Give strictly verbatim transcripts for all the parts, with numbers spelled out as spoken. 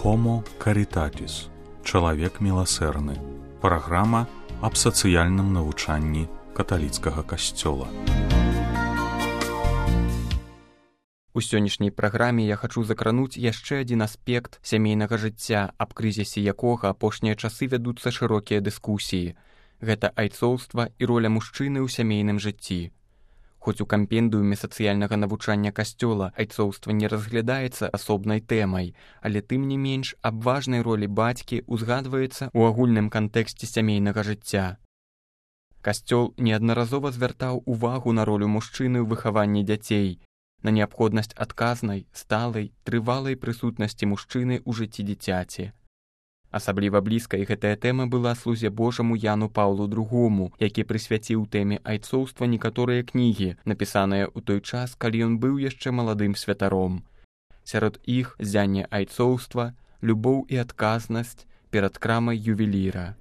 Homo Caritatis. Чалавек міласэрны. Праграма аб сацыяльным навучанні каталіцкага касцёла. У сённяшняй праграме я хачу закрануць яшчэ адзін аспект сямейнага жыцця, аб крызісе якога апошнія часы вядуцца шырокія дыскусіі. Гэта айцоўства і роля мужчыны ў сямейным жыцці. Хоць у кампендыуме сацыяльнага навучання касцёла айцоўства не разглядаецца асобнай тэмай, але тым не менш аб важнай ролі бацькі узгадваецца ў агульным кантэксце сямейнага жыцця. Касцёл неаднаразова звяртаў увагу на ролю мужчыны ў выхаванні дзяцей, на неабходнасць адказнай, сталай, трывалай прысутнасці мужчыны ў жыцці дзіцяці. Асабліва блізкай гэтая тэма была слузе Божаму Яну Паўлу другому, які прысвяціў тэме айцоўства некаторыя кнігі, напісаныя ў той час, калі ён быў яшчэ маладым святаром. Сярод іх ззянне айцоўства, любоў і адказнасць перад крамай ювеліра.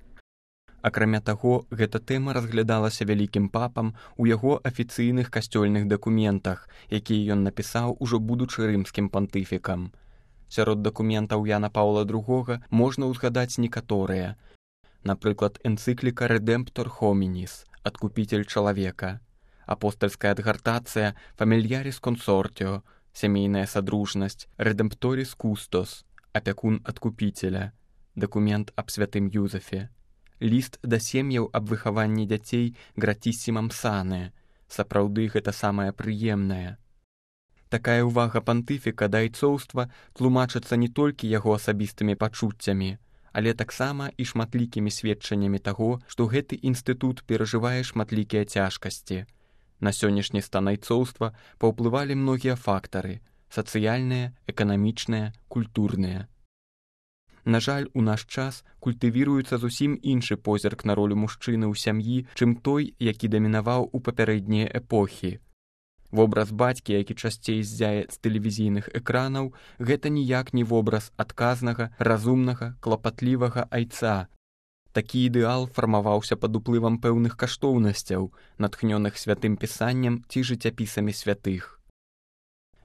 Акрамя таго, гэта тэма разглядалася вялікім папам у яго афіцыйных касцёльных дакументах, якія ён напісаў ужо будучы рымскім пантыфікам. Сярод дакументаў Яна Паўла другога можна ўзгадаць некаторыя. Напрыклад, энцыкліка «Redemptor hominis» – «Адкупитель чалавека», апостальская адгартацыя «Familiaris consortio» – «Сямейная садружнасць», «Redemptoris custos» – «Апякун адкупителя», дакумент аб святым Юзефе, ліст да сем'яў аб выхаванні дзяцей «Gratисsimam sane» – «Сапраўды гэта самае прыемнае». Такая ўвага пантыфіка да айцоўства тлумачыцца не толькі яго асабістымі пачуццямі, але таксама і шматлікімі сведчаннямі таго, што гэты інстытут перажывае шматлікія цяжкасці. На сённяшні стан айцоўства паўплывалі многія фактары – сацыяльныя, эканамічныя, культурныя. На жаль, у наш час культывіруецца зусім іншы позірк на ролю мужчыны ў сям'і, чым той, які дамінаваў у папярэднія эпохі. Вобраз бацькі, які часцей ззяе з тэлевізійных экранаў, гэта ніяк не вобраз адказнага, разумнага, клапатлівага айца. Такі ідэал фармаваўся пад уплывам пэўных каштоўнасцяў, натхнёных святым пісаннем ці жыццяпісамі святых.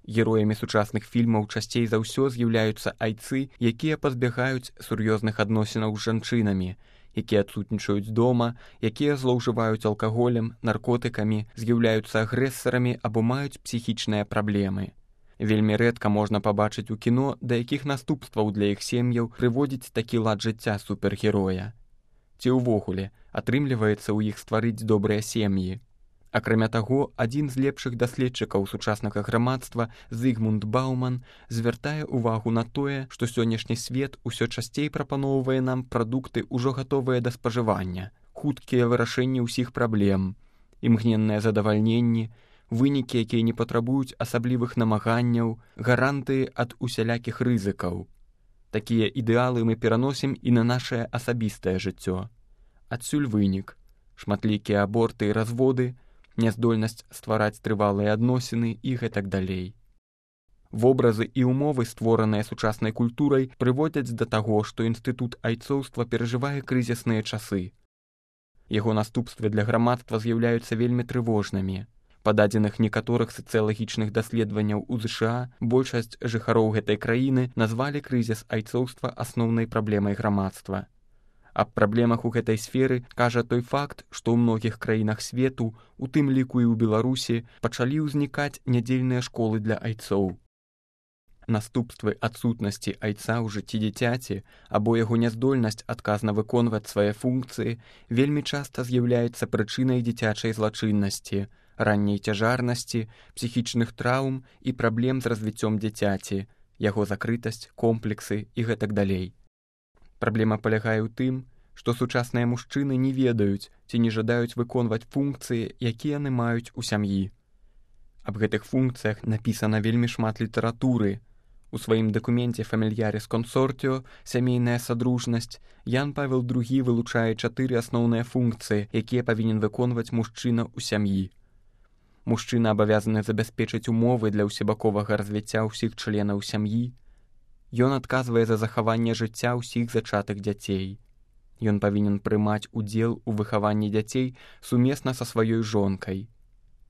Героямі сучасных фільмаў часцей за ўсё з'яўляюцца айцы, якія пазбягаюць сур'ёзных адносінаў з жанчынамі, якія адсутнічаюць дома, якія злоўжываюць алкаголем, наркотыкамі, з'яўляюцца агрэсарамі або маюць псіхічныя праблемы. Вельмі рэдка можна пабачыць у кіно, да якіх наступстваў для іх сем'яў прыводзіць такі лад жыцця супергероя. Ці ўвогуле атрымліваецца ў іх стварыць добрыя сем'і. Акрамя таго, адзін з лепшых даследчыкаў сучаснага грамадства, Зігмунд Бауман, звяртае ўвагу на тое, што сённяшні свет усё часцей прапаноўвае нам прадукты ўжо гатовыя да спажывання, хуткія вырашэнні ўсіх праблем, імгненныя задавальненні, вынікі, якія не патрабуюць асаблівых намаганняў, гарантыі ад усялякіх рызыкаў. Такія ідэалы мы пераносім і на нашае асабістае жыццё. Адсюль вынік – шматлікія аборты і разводы, няздольнасць ствараць трывалыя адносіны і гэтак далей. Вобразы і ўмовы, створаныя сучаснай культурай, прыводзяць да таго, што інстытут айцоўства перажывае крызісныя часы. Яго наступствы для грамадства з'яўляюцца вельмі трывожнымі. Па дадзеных некаторых сацыялагічных даследаванняў у ЗША большасць жыхароў гэтай краіны назвалі крызіс айцоўства асноўнай праблемай грамадства. Аб праблемах у гэтай сферы кажа той факт, што ў многіх краінах свету, у тым ліку і ў Беларусі, пачалі ўзнікаць нядзельныя школы для айцоў. Наступствы адсутнасці айца ў жыцці дзіцяці або яго няздольнасць адказна выконваць свае функцыі вельмі часта з'яўляецца прычынай дзіцячай злачыннасці, ранняй цяжарнасці, псіхічных траўм і праблем з развіццём дзіцяці, яго закрытасць, комплексы і гэтак далей. Праблема палягае ў тым, што сучасныя мужчыны не ведаюць ці не жадаюць выконваць функцыі, якія яны маюць у сям'і. Аб гэтых функцыях напісана вельмі шмат літаратуры. У сваім дакуменце «Familiaris consortio» – «Сямейная садружнасць» Ян Павел другі вылучае чатыры асноўныя функцыі, якія павінен выконваць мужчына ў сям'і. Мужчына абавязаны забяспечыць умовы для ўсебаковага развіцця ўсіх членаў сям'і. Ён адказвае за захаванне жыцця ўсіх зачатых дзяцей. Ён павінен прымаць удзел у выхаванні дзяцей сумесна са сваёй жонкай.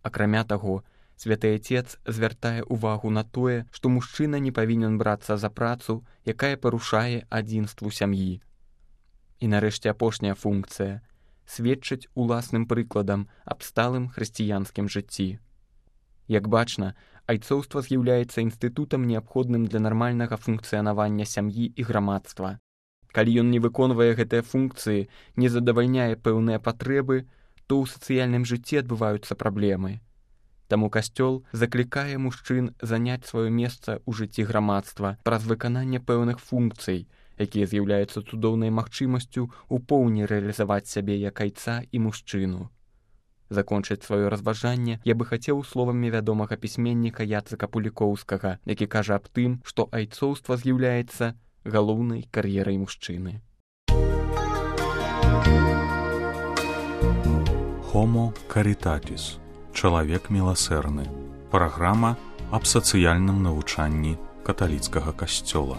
Акрамя таго, Святы Отец звяртае ўвагу на тое, што мужчына не павінен брацца за працу, якая парушае адзінству сям'і. І нарэшце апошняя функцыя – сведчыць уласным прыкладам аб сталым хрысціянскім жыцці. Як бачна, айцоўства з'яўляецца інстытутам неабходным для нармальнага функцыянавання сям'і і грамадства. Калі ён не выконвае гэтыя функцыі, не задавальняе пэўныя патрэбы, то ў сацыяльным жыцці адбываюцца праблемы. Таму Касцёл заклікае мужчын заняць сваё месца ў жыцці грамадства праз выкананне пэўных функцый, якія з'яўляюцца цудоўнай магчымасцю ў поўні рэалізаваць сябе як айца і мужчыну. Закончыць сваё разважанне я бы хацеў словамі вядомага пісьменніка Яцыка Пулікоўскага, які кажа аб тым, што айцоўства з'яўляецца галоўнай кар'ерай мужчыны. Homo Caritatis. Чалавек міласэрны. Праграма аб сацыяльным навучанні каталіцкага касцёла.